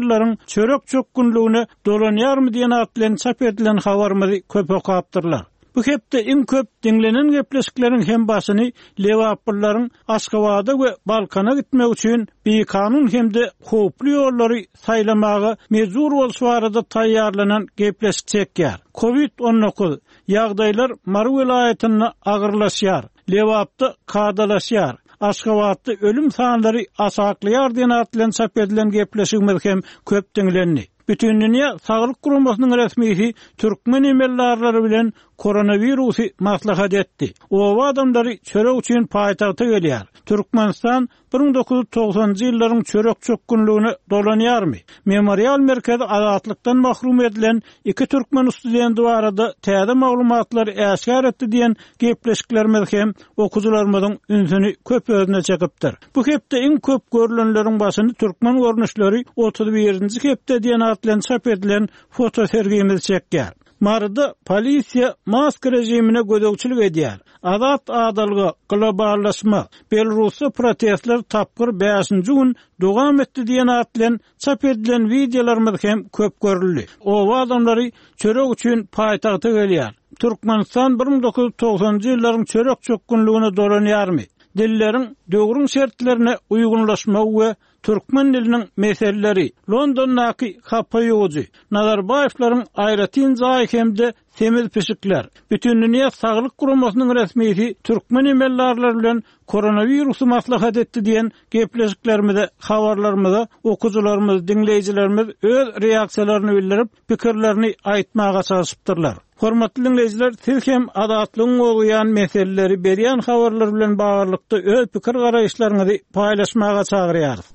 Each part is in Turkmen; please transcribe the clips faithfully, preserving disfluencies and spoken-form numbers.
ýyllaryň çörek çökgünligine dolanýarmy diýen at bilen çap edilen habarymyzy köp okapdyrlar. Bu hepde iň köp diňlenen gepleşikleriň hem başyny Lebaplylaryň Aşgabada we Balkana gitmek üçin bikanun hem-de howply ýollary saýlamaga mejbur bolşy barada taýýarlanan gepleşik çekýär. Covid on dokuz ýagdaýlar Mary welaýatynda agyrlaşýar, Lebapda kadalaşýar, Aşgabatda ölüm sanlary aşaklaýar diýen at bilen çap edilen gepleşigimiz hem köp diňlendi. Bütindünýä Saglyk Guramasynyň resmisi türkmen emeldarlary bilen koronawirusy maslahat etdi. Oba adamlary çörek üçin paýtagta gelýär. Türkmenistan bir müň dokuz ýüz togsanjy ýyllaryň çörek çökgünligine dolanýarmy? Memorial merkezi azatlykdan mahrum edilen iki türkmen studenti barada täze maglumatlary äşgär etdi diýen gepleşiklerimiz hem okyjylarymyzyň ünsüni köp özüne çekipdir. Bu hepde iň köp görülenleriň başyny türkmen görnüşleri otuz birinji hepde diýen at bilen çap edilen fotosergimiz çekýär. Maryda polisiýa maska rejimine gözegçilik edýär. Azat adalga, globallaşma, Belarusda protestler tapgyr bäşinji gün dowam etdi diýen at bilen çap edilen wideolarymyz hem köp görüldi. Oba adamlary çörek üçin paýtagta gelýär. Türkmenistan bir müň dokuz ýüz togsanjy ýyllaryň çörek çökgünligine dolanýarmy? Dilleriň döwrüň şertlerine uýgunlaşmagy we türkmen diliniň meseleleri, Londondaky hapa ýuwujy, Nazarbaýewleriň aýratyn jaýy hem-de semiz pişikler. Bütindünýä Saglyk Guramasynyň resmisi türkmen emeldarlary bilen koronawirusy maslahat etdi diýen gepleşiklerimize, habarlarymyza okyjylarymyz, diňleýjilerimiz öz reaksiýalaryny bildirip, pikirlerini aýtmaga çalşypdyrlar. Hormatly dinleýjiler, siz hem azatlygyň gozgaýan meseleleri berýän habarlar bilen baglylykda öz pikir garaýyşlaryňyzy paýlaşmaga çagyrýarys.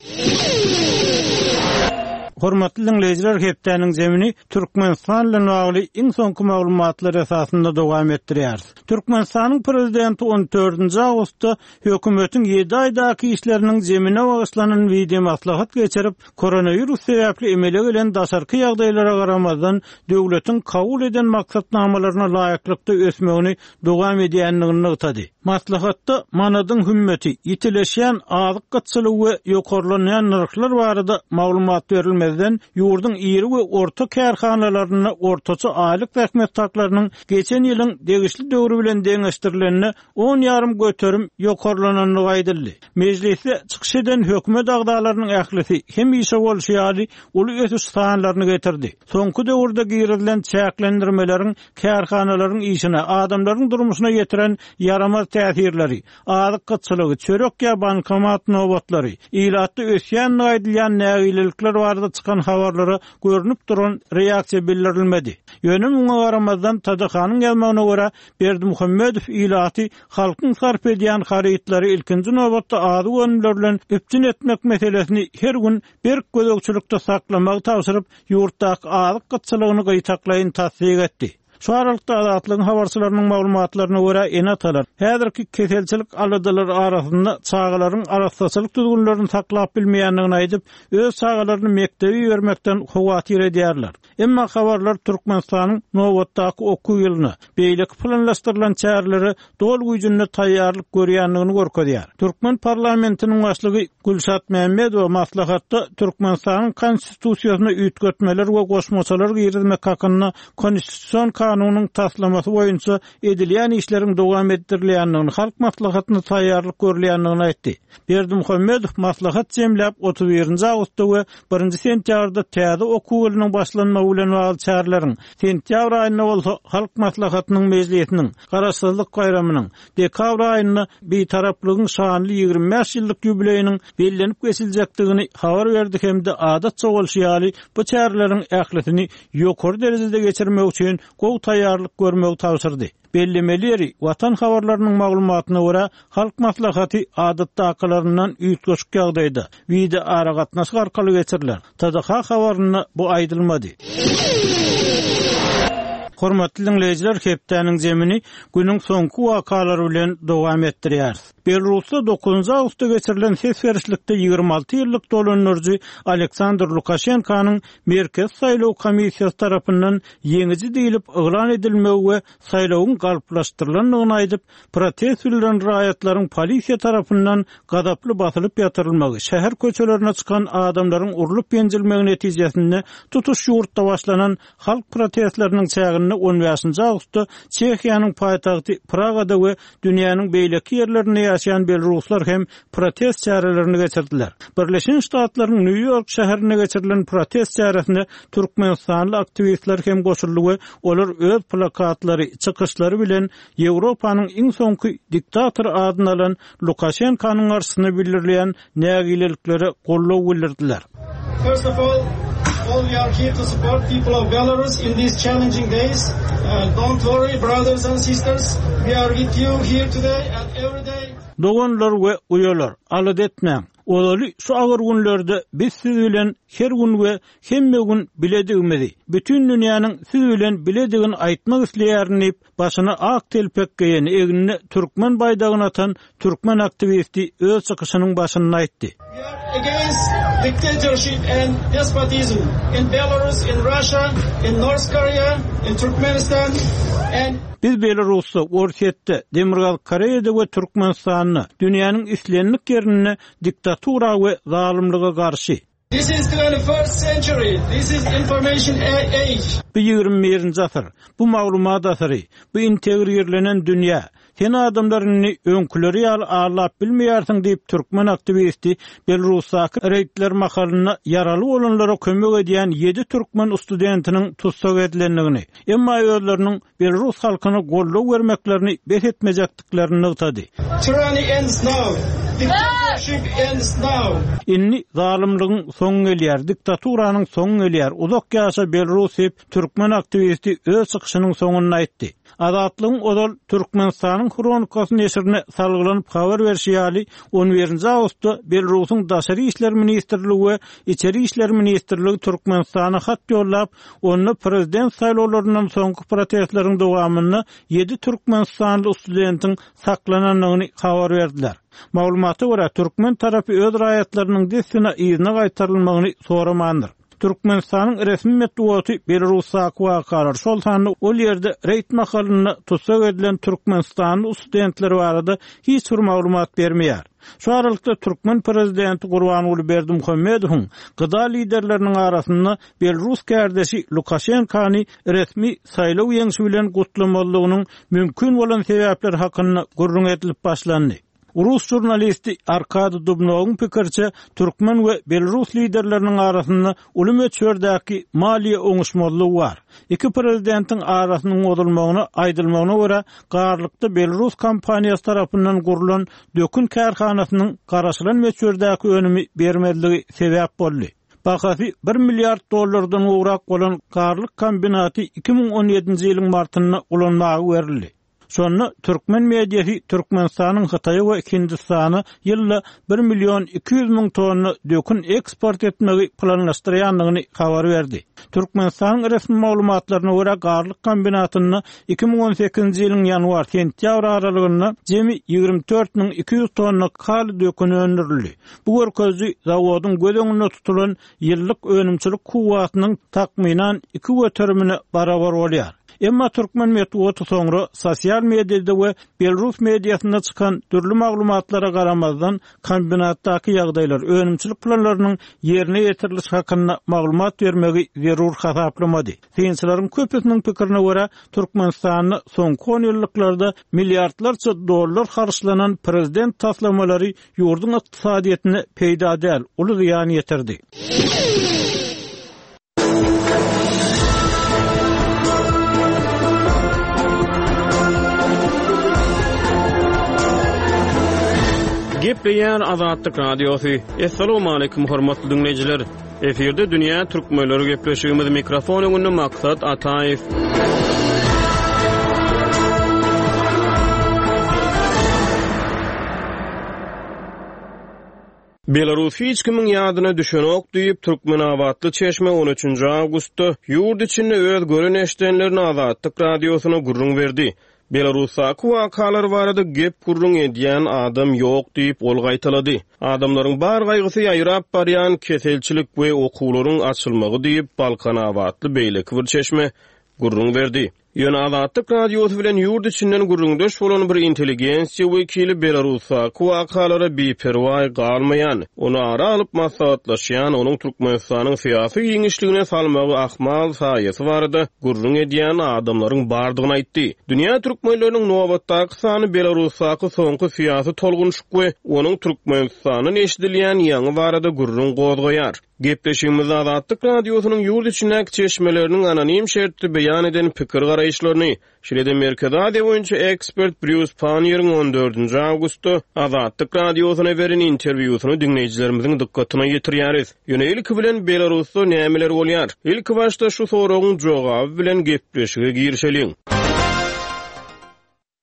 Hormatly dinleýjiler, hepdäniň zemini Türkmenistan bilen bagly iň soňky maglumatlar esasynda dowam etdirýäris. Türkmenistanyň prezidenti on dördünji awgustda hökümetiň ýedi aýdaky işleriniň zemine bagyşlanan wideo maslahat geçirip, koronawirus sebäpli emele gelen daşarky ýagdaýlara garamazdan döwletiň kabul eden maksatnamalaryna laýyklykda ösmegini dowam edýändigini nygtady. Maslahatda manadyň hümmeti, ýitileşýän azyk gytçylygy we ýokarlanýan nyrhlar barada maglumat berilmezden, ýurduň iri we orta kärhanalarynda ortaça aýlyk zähmet haklarynyň geçen ýylyň degişli döwri bilen deňeşdirilende on ýarym göterim ýokarlanandygy aýdyldy. Mejlisde çykyş eden hökümet agzalarynyň ählisi hemişe bolşy ýaly uly ösüş sanlaryny getirdi. Soňky döwürde girizilen çäklendirmeleriň kärhanalaryň işine, adamlaryň durmuşyna ýetiren ýaramaz täsirleri, azyk gytçylygy, çörek ýa bankomat nobatlary, ilatda ösýän aýdylýan nägilelikler barada çykan habarlara görünip duran reaksiýa bildirilmedi. Ýöne muňa garamazdan T D H-nyň ýazmagyna görä Berdimuhamedow ilaty halkyň sarp edýän harytlary ilkinji nobatda azyk önümleri bilen üpjün etmek meselesini her gün berk gözegçilikde saklamagy tabşyryp, ýurtdaky azyk gytçylygyny gyýtaklaýyn tassyk etdi. Şu aralykda Azatlygyň habarçylarynyň maglumatlaryna görä ene-atalar häzirki keselçilik aladalary arasynda çagalaryň arassaçylyk düzgünlerini saklap bilmeýändigini aýdyp, öz çagalaryny mekdebe ibermekden howatyr edýärler. Emma habarlar Türkmenistanyň nobatdaky okuw ýylyna, beýleki planlaşdyrylan çärelere doly güýjünde taýýarlyk görýändigini görkezýär. Türkmen parlamentiniň başlygy Gülşat Mämmedowa maslahatda Türkmenistanyň konstitusiýasyna üýtgetmeler we goşmaçalar girizmek hakynda konstitusion kanunyň taslamasy boýunça edilýän işleriň dowam etdirilýändigini, halk maslahatyna taýýarlyk görülýändigini aýtdy. Berdimuhamedow maslahat jemläp otuz birinji awgustda we birinji sentýabrda täze okuw ýylynyň başlanmagy bilen bagly çäreleriň, sentýabr aýynda bolsa halk maslahatynyň mejlisiniň, Garaşsyzlyk baýramynyň, dekabr aýynda Bitaraplygyň şanly ýigrimi bäş ýyllyk ýubileýiniň bellenip geçiljekdigini habar berdi hem-de adatça bolşy ýaly bu çäreleriň ählisini ýokary derejede geçirmek üçin gowy taýýarlyk görmegi tabşyrdy. Bellemeli ýeri, Watan habarlarynyň maglumatyna görä, halk maslahaty adatdakylaryndan üýtgeşik ýagdaýda wideo aragatnaşyk arkaly geçiriler. T D H habarynda bu aýdylmady. Hormatly dinleýjiler, hepdäniň zemini günüň soňky wakalary bilen dowam etdirýäris. Belarusda dokuzynjy awgustda geçirilen ses berişlikde ýigrimi alty ýyllyk dolandyryjy Aleksandr Lukaşenkanyň Merkezi saýlaw komissiýasy tarapyndan ýeňiji diýlip yglan edilmegi we saýlawyň galplaşdyrylandygyny aýdyp, protest bildiren raýatlaryň polisiýa tarapyndan gazaply basylyp ýatyrylmagy, şäher köçelerine çykan adamlaryň urlup ýenjilmegi netijesinde tutuş ýurtda başlanan halk protestleriniň çäginde on bäşinji awgustda Çehiýanyň paýtagty Pragada we dünýäniň beýleki ýerlerinde ýaşaýan belaruslar hem protest çärelerini geçirdiler. Birleşen Ştatlaryň Nýu-Ýork şäherinde geçirilen protest çäresine türkmenistanly aktiwistler hem goşuldy we olar öz plakatlary, çykyşlary bilen Ýewropanyň iň soňky diktator adyny alan Lukaşenkanyň garşysyna bildirilýän nägileliklere goldaw bildirdiler. First of all, all we are here to support people of Belarus in these challenging days. Uh, don't worry, brothers and sisters, we are with you here today and every day. Doganlar we uýalar, alada etmäň. Ozaly şu agyr günlerde biz siz bilen her gün we hemme gün biledigimizi, bütün dünýäniň siz bilen biledigini aýtmak isleýärin diýip, başyna ak telpek geýen, egnine türkmen baýdagyny atan türkmen aktiwisti öz çykyşynyň başynda aýtdy. We are against dictatorship and despotism in Belarus, in Russia, in North Korea, in Turkmenistan and Biz Belarusda, Orsýetde, Demirgazyk Koreýada we Türkmenistanda dünýäniň islendik ýerinde diktatura we zalymlyga garşy. This is twenty-first century. This is information age. Bu ýigrimi birinji asyr. Bu maglumat asyry. Bu integrirlenen dünýä. Sen adamlaryny öňküleri ýaly aldap bilmeýärsiň diýip türkmen aktiwisti Belarusdaky reýdler mahalynda ýaraly bolanlara kömek edýän ýedi türkmen studentiniň tussag edilendigini, emma özleriniň Belarus halkyna goldaw bermeklerini bes etmejekdiklerini nygtady. Tyranny ends now. Dictatorship ends now. Indi zalymlygyň soňy gelýär, diktaturanyň soňy gelýär. Uzak ýaşa Belarus diýip türkmen aktiwisti öz çykyşynyň soňunda aýtdy. Azatlygyň ozal Türkmenistanyň Hronikasy neşirine salgylanyp habar berşi ýaly, on birinji awgustda Belarusyň Daşary işler ministrligi we Içeri işler ministrligi Türkmenistana hat ýollap, onda prezident saýlawlaryndan soňky protestleriň dowamynda ýedi türkmenistanly studentiň saklanandygyny habar berdiler. Maglumata görä, türkmen tarapy öz raýatlarynyň dessine yzyna gaýtarylmagyny soramandyr. Türkmenistanyň resmi metbugaty Belarusdaky wakalar, şol sanda ol ýerde reýd mahalynda tussag edilen türkmenistanly studentler barada hiç bir maglumat bermeýär. Şu aralykda türkmen prezidenti Gurbanguly Berdimuhamedowyň gıda liderleriniň arasynda Belarus kardeşi Lukaşenkany resmi saýlaw ýeňşi bilen gutlamalygynyň mümkin bolan sebäpleri hakynda gürrüň edilip başlandy. Rus jurnalisti Arkady Dubnowyň pikirçe türkmen we Belarus liderleriniň arasynda uly möçberdäki maliýe oňuşmazlygy bar. Iki prezidentiň arasynyň bozulmagyna aýdylmagyna görä, Garlykda Belarus kompaniýasy tarapyndan gurlan dökün kärhanasynyň garaşylan möçberdäki önümi bermezligi sebäp boldy. Bahasy bir milliard dollardan gowrak bolan Garlyk kombinaty iki müň on ýedinji ýylyň martynda ulanmaga berildi. Şonda türkmen mediasy Türkmenistanyň Hytaýa we Hindistana ýylda bir million iki ýüz müň tonna dökün eksport etmegi planlaşdyrýandygyny habar berdi. Türkmenistanyň resmi maglumatlaryna görä, Garlyk kombinatynda iki müň on sekizinji ýylyň ýanwar-sentýabr aralygynda jemi ýigrimi dört müň iki ýüz tonna kali dökün öndürildi. Bu görkeziji zawodyň göz öňünde tutulan ýyllyk önümçilik kuwwatynyň takmynan iki göterimine barabar bolýar. Emma türkmen metbugaty soňra sosial mediada we Belarus mediasynda çykan dürli maglumatlara garamazdan kombinatdaky ýagdaýlar, önümçilik planlarynyň ýerine ýetirilişi hakynda maglumat bermegi zerur hasaplamady. Synçylaryň köpüsiniň pikirine görä, Türkmenistanda soňky on ýyllyklarda milliardlarça dollar harçlanan prezident taslamalary ýurduň ykdysadyýetine peýda däl, uly zyýan ýetirdi. Gepleýär Azatlyk Radiosy. Essalamu aleýkum hormatly dinleýjiler. Efirde Dünýä Türkmenleri gepleşigimiz mikrofon öňünde Maksat Ataýew. Belarus hiç kimiň ýadyna düşenok diýip Türkmenabatly çeşme on üçünji awgustda ýurt içinde öz gören eşdenlerini Azatlyk Radiosyna gürrüň berdi. Belarusdaky wakalar barada gep gürrüň edýän adam ýok diýip ol gaýtalady. Adamlaryň bar gaýgysy ýaýrap barýan keselçilik we okuwlaryň açylmagy diýip Balkanabatly beýleki bir çeşme gürrüň berdi. Ýöne Azatlyk Radiosy bilen ýurt içinden gürrüňdeş bolan bir intelligensiýa wekili Belarusdaky wakalara biperwaý galmaýan, ony ara alyp maslahatlaşýan, onuň Türkmenistanyň syýasy giňişligine salmagy ahmal saýasy barada gürrüň edýän adamlaryň bardygyny aýtdy. Dünýä türkmenleriniň nobatdaky sany Belarusdaky soňky syýasy tolgunşyk we onuň Türkmenistandan eşidilýän ýaňy barada gürrüň gozgaýar. Gepleşigimizde Azatlyk Radiosynyň ýurt içindäki çeşmeleriniň anonim şertli beýan eden pikir garaýyşlaryny, şeýle-de Merkezi Aziýa boýunça ekspert Brýus Panniýeriň on dördünji awgustda Azatlyk Radiosyna beren interwýusyny diňleýjilerimiziň dykgatyna ýetirýäris. Ýöne ilki bilen Belarusda nämeler bolýar? Ilki başda şu soragyň jogaby bilen gepleşige girişeliň.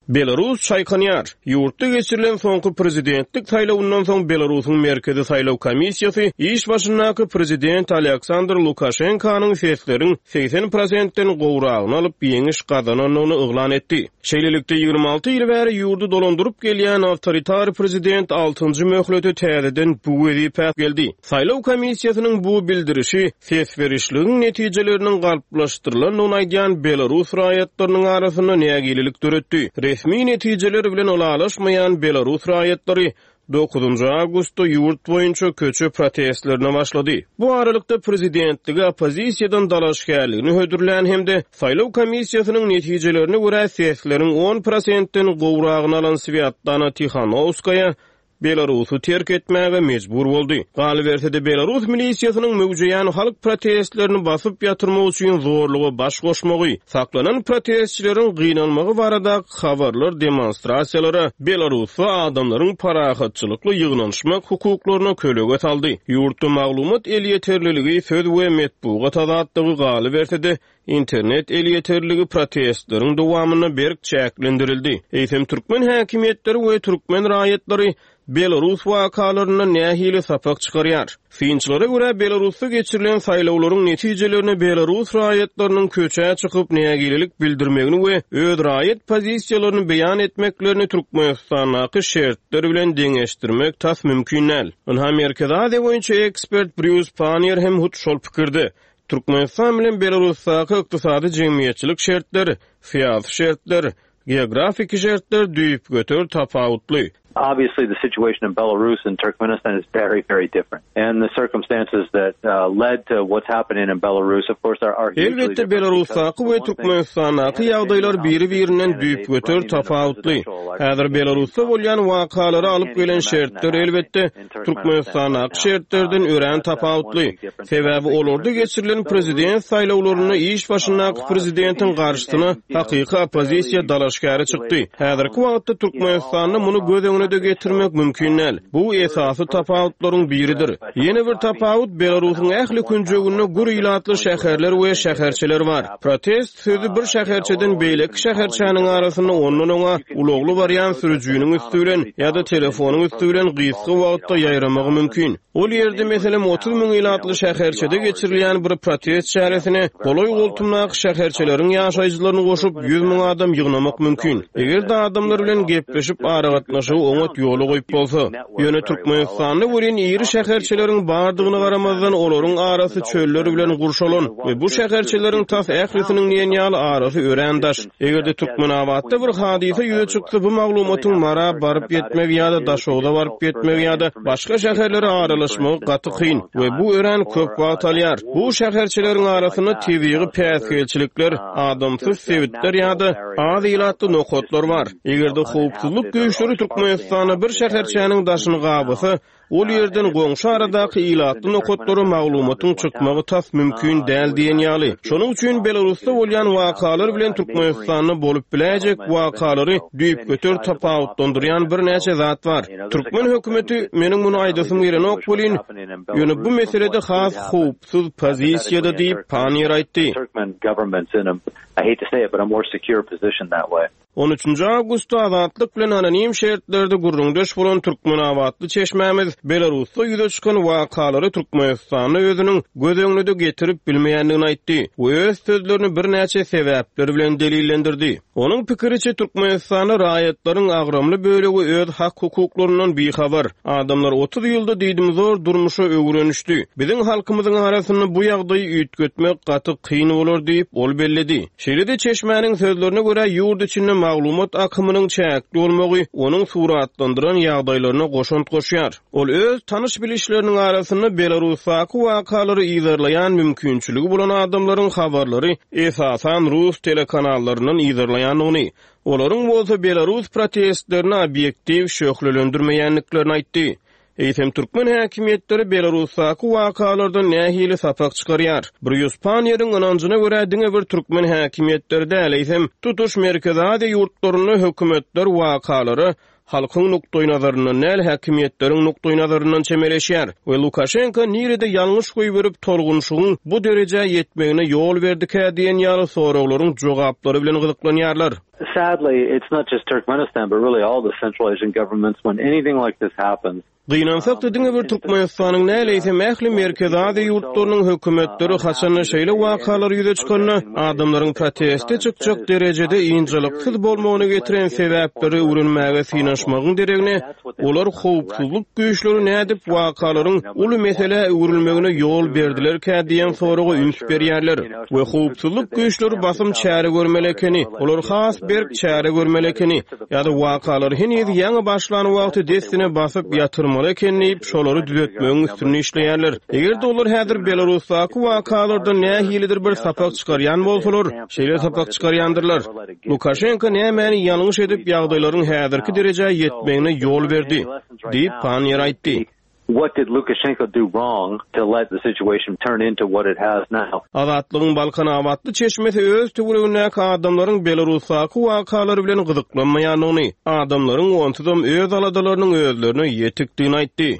Belarus çaýkanýar. Ýurtda geçirilen soňky prezidentlik saýlawyndan soň Belarusyň Merkezi saýlaw komissiýasy iş başyndaky prezident Aleksandr Lukaşenkanyň sesleriň segsen prosentden gowragyny alyp ýeňiş gazanandygyny yglan etdi. Şeýlelikde ýigrimi alty ýyl bäri ýurdy dolandyryp gelýän awtoritar prezident altynjy möhlete täzeden bu wezipä geldi. Saýlaw komissiýasynyň bu bildirişi ses berişligiň netijeleriniň galplaşdyrylandygyny aýdýan Belarus raýatlarynyň arasynda nägilelik döretdi. Resmi netijeler bilen ylalaşmaýan Belarus raýatlary dokuzynjy awgustda ýurt boýunça köçe protestlerine başlady. Bu aralykda prezidentligi oppozisiýadan dalaşgärligini hödürlän hem-de saýlaw komissiýasynyň netijelerine görä sesleriň on prosentden gowragyny alan Swýatlana Tihanowskaýa Belarusy terk etmäge mejbur boldy. Galyberse-de Belarus milisiýasynyň möwjeýän halk protestlerini basyp ýatyrmak üçin zorluga baş goşmagy, saklanan protestçileriň gynalmagy barada habarlar demonstrasiýalara Belarusda adamlaryň parahatçylykly ýygnanyşmak hukuklaryna kölege saldy. Ýurtda maglumat elýeterliligi, söz we metbugat azatlygy galyberse-de internet elýeterliligi protestleriň dowamynda berk çäklendirildi. Eýsem türkmen häkimiýetleri we türkmen raýatlary Belarus wakalaryndan nähili sapak çykarýar? Synçylara görä Belarusda geçirilen saýlawlaryň netijelerine Belarus raýatlarynyň köçä çykyp nägilelik bildirmegini we öz raýat pozisiýalaryny beýan etmeklerini Türkmenistandaky şertler bilen deňeşdirmek tas mümkin däl. Ynha Merkezi Aziýa boýunça ekspert Brýus Panniýer hem hut şol pikirde. Türkmenistan bilen Belarusdaky ykdysady jemgyýetçilik şertler, syýasy şertler, geografiki şertler düýpgöter tapawutly. Obviously, the situation in Belarus and Turkmenistan is very, very different. And the circumstances that uh, led to what's happening in Belarus, of course, are, are hugely Elbetde different. Belarusdaky we Türkmenistandaky ýagdaýlar biri-birinden düýpgöter tapawutly. Häzir Belarusda bolýan wakalary alyp gelen şertler elbetde Türkmenistandaky şertlerden örän tapawutly. Sebäbi olarda geçirilen prezident saýlawlarynda iş başyndaky prezidentiň garşysyna hakyky oppozisiýa dalaşgäri çykdy. Häzirki wagtda Türkmenistanda muny göz öňüne de getirmek mümkin däl. Bu esasy tapawutlaryň biridir. Ýene bir tapawut Belarusyň ähli künjeginde gür ilatly şäherler we şäherçeler bar. Protest sözü bir şäherçeden beýleki şäherçäniň arasynda ondan oňa ulagly barýan sürüjiniň üstü bilen ýa-da telefonyň üstü bilen gysga wagtda ýaýramagy mümkin. Ol ýerde meselem otuz müň ilatly şäherçede geçirilýän bir protest çäresine golaý goltumdaky şäherçeleriň ýaşaýjylaryny goşup ýüz müň adam ýygnamak mümkin. Eger-de adamlar bilen gepleşip aragatnaşygy oňat ýola goýup bolsa, ýöne Türkmenistanda welin iri şäherçeleriň bardygyny garamazdan olaryň arasy çöller bilen gurşalan we bu şäherçeleriň tas ählisiniň diýen ýaly arasy örän daş. Eger-de Türkmenabatda bir hadysa ýüze çyksa, bu maglumatyň Mara baryp ýetmegi ýa-da Daşogza baryp ýetmegi ýa-da başga şäherlere aralaşmagy gaty kyn we bu örän köp wagt alýar. Bu şäherçeleriň arasynda tebigy päsgelçilikler, adamsyz sebitler ýa-da az ilatly nokatlar bar. Eger-de howpsuzlyk güýçleri Türkmenistanda bir şäherçäniň daşyny gabasa, ol ýerden goňşy aradaky ilatly nokatlara maglumatyň çykmagy tas mümkin däl diýen ýaly. Şonuň üçin Belarusda bolýan wakalar bilen Türkmenistanda bolup biläýjek wakalary düýpgöter tapawutlandyrýan birnäçe zat bar. Türkmen hökümeti meniň muny aýdasym gelenok welin, ýöne bu meselede has howpsuz pozisiýada diýip Panniýer aýtdy. Turkmen government's in a, I hate to say it, but a more secure position that way. On üçünji awgustda Azatlyk bilen anonim şertlerde gürrüňdeş bolan türkmenabatly çeşmämiz Belarusda ýüze çykan wakalary Türkmenistanda özüniň göz öňüne-de getirip bilmeýändigini aýtdy we öz sözlerini birnäçe sebäpler bilen delillendirdi. Onuň pikiriçe, Türkmenistanda raýatlaryň agramly bölegi öz hak-hukuklaryndan bihabar. Adamlar otuz ýylda diýdimzor durmuşa öwrenişdi. Biziň halkymyzyň arasynda bu ýagdaýy üýtgetmek gaty kyn bolar diýip, ol belledi. Şeýle-de çeşmäniň sözlerine görä, ýurt içinde maglumat akymynyň çäkli bolmagy onuň suratlandyran ýagdaýlaryna goşant goşýar. Ol öz tanyş-bilişleriniň arasynda Belarusdaky wakalary yzarlaýan mümkinçiligi bolan adamlaryň habarlary esasan rus telekanallaryndan yzarlaýandygyny, olaryň bolsa belarus protestlerini obýektiw şöhlelendirmeýändiklerini aýtdy. Eýsem, türkmen häkimiýetleri Belarusdaky wakalardan nähili sapak çykarýar? Brýus Panniýeriň ynanjyna görä, diňe bir türkmen häkimiýetleri däl, eýsem, tutuş Merkezi Aziýa ýurtlarynda hökümetler wakalara halkyň nukdaýnazaryndan däl, häkimiýetleriň nukdaýnazaryndan çemeleşýär we Lukaşenko nirede ýalňyş goýberip, tolgunyşygyň bu derejä ýetmegine ýol berdikä diýen ýaly soraglaryň jogaplary bilen gyzyklanýarlar. Sadly, it's not just Turkmenistan, but really all the Central Asian governments, when anything like this happens, Gynansak-da, diňe bir Türkmenistanyň däl, eýsem ähli Merkezi Aziýa ýurtlarynyň hökümetleri haçanda şeýle wakalar ýüze çykanda, adamlaryň proteste çykjak derejede ynjalyksyz bolmagyna getiren sebäpleri öwrenmäge synanyşmagyň deregine, olar howpsuzlyk güýçleri nädip wakalaryň uly meselä öwrülmegine ýol berdilerkä diýen soraga üns berýärler we howpsuzlyk güýçleri basym çäre görmeli ekeni, olar has berk çäre görmeli ekeni ýa-da wakalar heniz ýaňy başlan wagty dessine basyp ýatyrmaly eken diýip, şolary düzetmegiň üstünde işleýärler. Eger-de olar häzir Belarusdaky wakalardan nähilidir bir sapak çykarýan bolsalar, şeýle sapak çykarýandyrlar. Lukaşenko nämäni ýalňyş edip, ýagdaýlaryň häzirki derejä ýetmegine ýol berdi? diýip, Panniýer aýtdy. What did Lukashenko do wrong to let the situation turn into what it has now? Azatlygyň balkanabatly çeşmesi öz töweregindäki adamlaryň Belarusdaky wakalar bilen gyzyklanmaýandygyny, adamlaryň onsuzam öz aladalarynyň özlerine ýetikdigini aýtdy.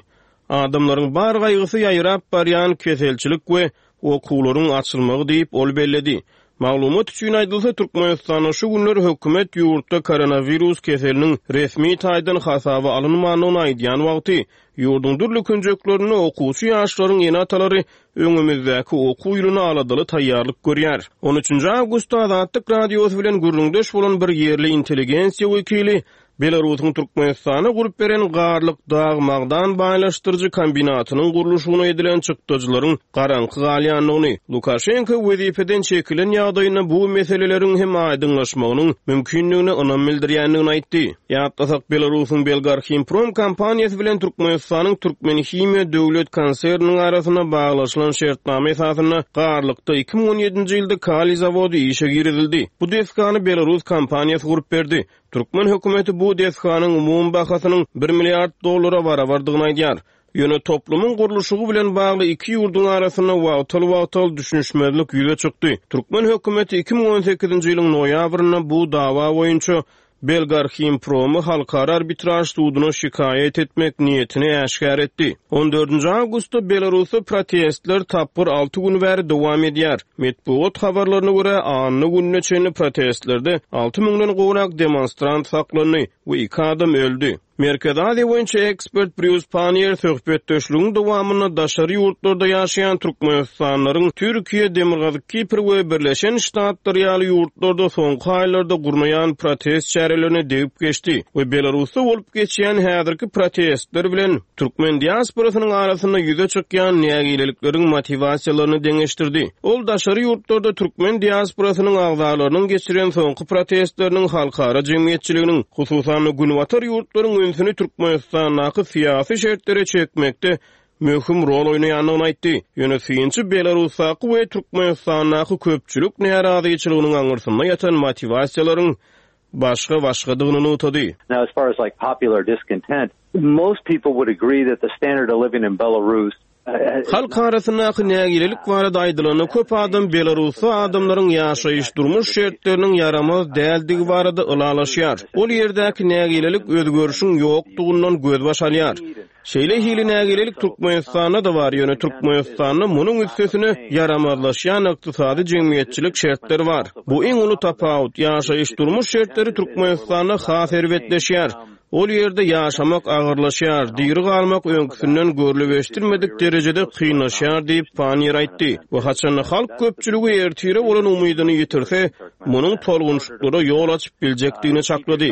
Adamlaryň bar gaýgysy ýaýrap barýan keselçilik we okuwlaryň açylmagy diýip, ol belledi. Maglumat üçin aýdylsa, Türkmenistanda şu günler hökümet ýurtda koronawirus keseliniň resmi taýdan hasaba alynmandygyny aýdýan wagty, ýurduň dürli künjeklerinde okuwçy ýaşlaryň ene-atalary öňümizdäki okuw ýylyna aladaly taýýarlyk görýär. On üçünji awgustda Azatlyk Radiosy bilen gürrüňdeş bolan bir ýerli intelligensiýa wekili Belarusyň Türkmenistana gurup beren Garlyk dag magdan baýlaşdyryjy kombinatynyň gurluşygyna edilen çykdajylaryň garaňky galýandygyny, Lukaşenko wezipeden çekilen ýagdaýynda bu meseleleriň hem aýdyňlaşmagynyň mümkindigine ynam bildirýändigini aýtdy. Ýatlasak, Belarusyň Belgarhimprom kompaniýasy bilen Türkmenistanyň Türkmenhimiýa döwlet konserniniň arasynda baglaşylan şertnama esasynda Garlykda iki müň on ýedinji ýylda kaliý zawody işe girizildi. Bu desgany Belarus kompaniýasy gurup berdi. Türkmen hökümeti bu desganyň umumy bahasynyň bir milliard dollara barabardygyny aýdýar. Ýöne toplumyň gurluşygy bilen bagly iki ýurduň arasynda wagtal-wagtal düşünişmezlik ýüze çykdy. Türkmen hökümeti iki müň on sekizinji ýylyň noýabrynda bu dawa boýunça Belgarhimpromy halkara arbitraž suduna şikaýat etmek niýetini äşgär etdi. On dördünji awgustda Belarusda protestler tapgyr alty gün bäri dowam edýär. Metbugat habarlaryna görä, anna gününe çenli protestlerde alty müňden gowrak demonstrant saklandy we iki adam öldi. Merkezi Aziýa boýunça ekspert Brýus Panniýer söhbetdeşligiň dowamynda daşary ýurtlarda ýaşaýan türkmenistanlylaryň Türkiýe, Demirgazyk Kipr we Birleşen Ştatlar ýaly ýurtlarda soňky aýlarda gurnaýan protest çärelerine degip geçdi we Belarusda bolup geçýän häzirki protestler bilen türkmen diasporasynyň arasynda ýüze çykýan nägilelikleriň motiwasiýalaryny deňeşdirdi. Ol daşary ýurtlarda türkmen diasporasynyň agzalarynyň geçiren soňky protestleriniň halkara jemgyýetçiliginiň, hususan-da günbatar ýurtlaryň ünsüni Türkmenistandaky syýasy şertlere çekmekde möhüm rol oýnaýandygyny aýtdy. Ýöne synçy Belarusdaky we Türkmenistandaky köpçülik närazyçylygynyň aňyrsynda ýatan motiwasiýalaryň başga-başgadygyny nygtady. Now, as far as like popular discontent, most people would agree that the standard of living in Belarus Halk arasyndaky nägilelik barada aýdylanda köp adam Belarusda adamlaryň ýaşaýyş-durmuş şertleriniň ýaramaz däldigi barada ylalaşýar. Ol ýerdäki nägilelik özgerişiň ýokdugyndan gözbaş alýar. Şeýle hili nägilelik Türkmenistanda-da bar, ýöne Türkmenistanda munuň üstesine ýaramazlaşýan ykdysady jemgyýetçilik şertleri bar. Bu iň uly tapawut. Ýaşaýyş-durmuş şertleri Türkmenistanda has erbetleşýär. Ol ýerde ýaşamak agyrlaşýar, diri galmak öňküsinden görlüp eşidilmedik derejede kynlaşýar diýip, Panniýer aýtdy. We haçanda halk köpçüligi ertire bolan umydyny ýitirse, munuň tolgunşyklara ýol açyp biljekdigini çaklady.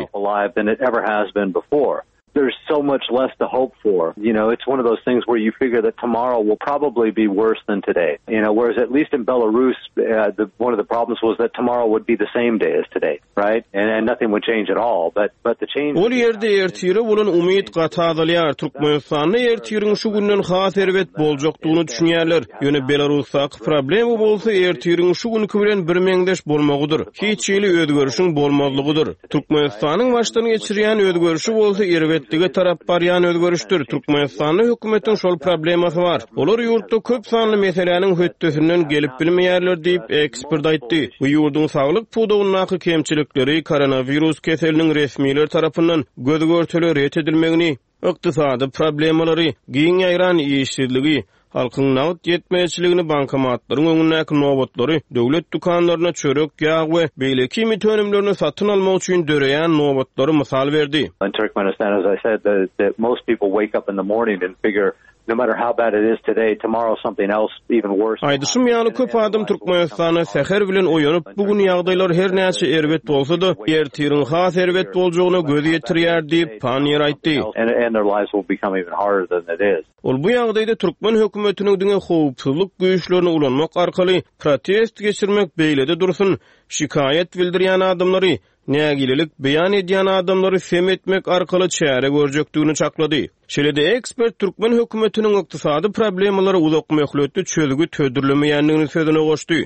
There's so much less to hope for. You know, it's one of those things where you figure that tomorrow will probably be worse than today. You know, whereas at least in Belarus, uh, the, one of the problems was that tomorrow would be the same day as today, right? And, and nothing would change at all. But but the change Ol ýerde ertire bolan umyt gaty azalýar. Türkmenistanda ertiriň şu günden has erbet boljakdygyny düşünýärler. Ýöne Belarusdaky problema bolsa ertiriň şu günki bilen bir meňzeş bolmagydyr. Hiç hili özgerişiň bolmazlygydyr. Türkmenistanyň başdan geçirýän özgerişi bolsa erbetlige tarap barýan özgerişdir. Türkmenistanda hökümetiň şol problemasy bar. Olar ýurtda köp sanly meseläniň hötdesinden gelip bilmeýärler diýip ekspert aýtdy. Bu ýurduň saglyk pudagyndaky kemçilikleri koronawirus keseliniň resmiler tarapyndan göz görtele ret edilmegini, ykdysady problemalary, giň ýaýran işsizligi, halkyň nagt ýetmezçiligini bankomatlaryň öňündäki nobatlary, döwlet dükanlaryna çörek, ýag we beýleki iýmit önümlerini satyn almak üçin döreýän nobatlary mysal berdi. In Turkmenistan, as I said, the, that most people wake up in the morning and figure no matter how bad it is today, tomorrow something else even worse. Aýdyşym ýaly köp adam Türkmenistana säher bilen oýanyp, bu gün ýagdaýlar her näçe erbet bolsa-da, ertiriň has erbet boljagyna göz ýetirýär diýip Panniýer aýtdy. And, and their lives will become even harder than it is. Ol bu ýagdaýda türkmen hökümetiniň diňe howpsuzlyk güýçlerini ulanmak arkaly protest geçirmek beýlede dursun, şikaýat bildirýän adamlary, nägilelik beýan edýän adamlary sem etmek arkaly çäre görjekdigini çaklady. Şeýle-de ekspert türkmen hökümetiniň ykdysady problemalary uzak möhletli çözgüt hödürlemeýändigini sözüne goşdy.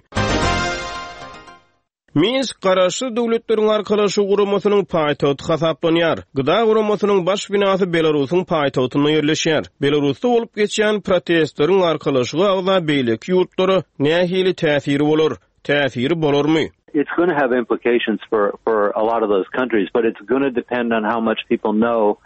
Minsk Garaşsyz Döwletleriň Arkalaşygy guramasynyň paýtagty hasaplanýar. G D A guramasynyň baş binasy Belarusyň paýtagtynda ýerleşýär. Belarusda bolup geçýän protestleriň arkalaşyga agza beýleki ýurtlara nähili täsiri bolar? Täsiri bolarmy? It's going to have implications for, for a lot of those countries, but it's going to depend on how much people know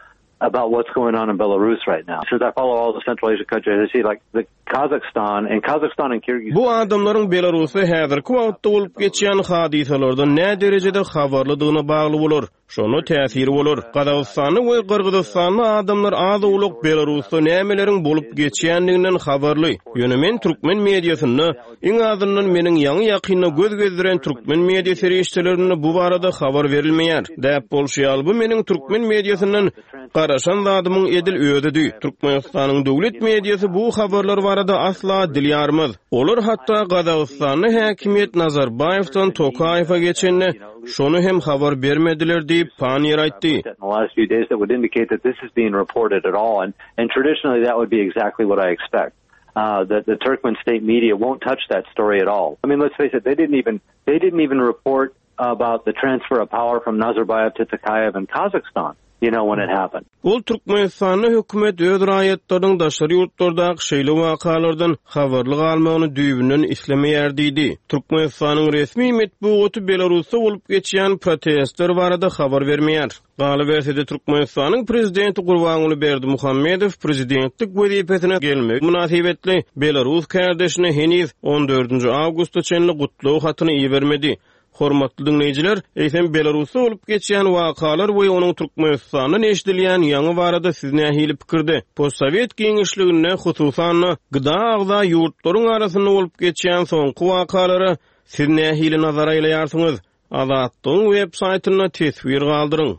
about what's going on in Belarus right now. Since I follow all the Central Asian countries, I see like the Kazakhstan and Kazakhstan and Kyrgyzstan. Bu adamlaryň Belarusda häzirki wagtda bolup geçýän hadysalardan nä derejede habarlydygyna bagly bolar. Şona täsiri bolar. Gazagystanda we Gyrgyzystanda adamlar az-owlak Belarusda nämeleriň bolup geçýändiginden habarly. Ýöne men türkmen mediasynda iň azyndan meniň ýaňy ýakynda göz gezdiren türkmen media serişdelerinde bu barada habar berilmeýär. Däp bolşy ýaly bu meniň türkmen mediasyndan garaşan zadymyň edil özüdi. Türkmenistanyň döwlet mediasy bu habarlar barada asla dil ýarmaz. Olar hatda Gazagystanda häkimiýet Nazarbaýewden Tokaýewe geçende şony hem habar bermediler diýip Panniýer aýtdy. In the last few days that would indicate that this is being reported at all, and, and traditionally that would be exactly what I expect. Uh, that the Turkmen state media won't touch that story at all. I mean, let's face it, they didn't even they didn't even report about the transfer of power from Nazarbayev to Tokayev in Kazakhstan. You know, when it happened. Ol Türkmenistanda hökümet öz raýatlarynyň daşary ýurtlardaky şeýle wakalardan habarly galmagyny düýbünden islemeýär diýdi. Türkmenistanyň resmi metbugaty Belarusda bolup geçýän protestler barada habar bermeýär. Galyberse-de Türkmenistanyň prezidenti Gurbanguly Berdimuhamedow prezidentlik wezipesine gelmek mynasybetli Belarus kärdeşine heniz on dördünji awgusta çenli gutlag hatyny ibermedi. Hormatly dinleýjiler, eýsem Belarusda bolup geçýän wakalar we onuň Türkmenistanda eşidilýän ýaňy barada siz nähili pikirde? Postsovet giňişliginde hususan G D A agza ýurtlaryň arasynda bolup geçýän soňky wakalara siz nähili nazar aýlaýarsyňyz? Azatlygyň web saýtynda teswir galdyryň.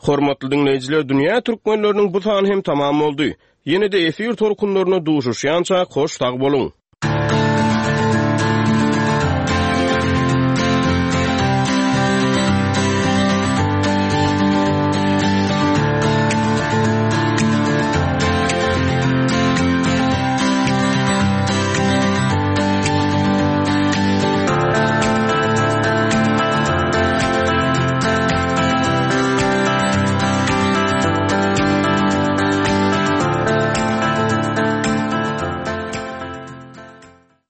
Hormatly dinleýjiler, dünýä türkmenleriniň bu sany hem tamam boldy. Ýene-de efir tolkunlaryna duşuşýança hoş sag boluň.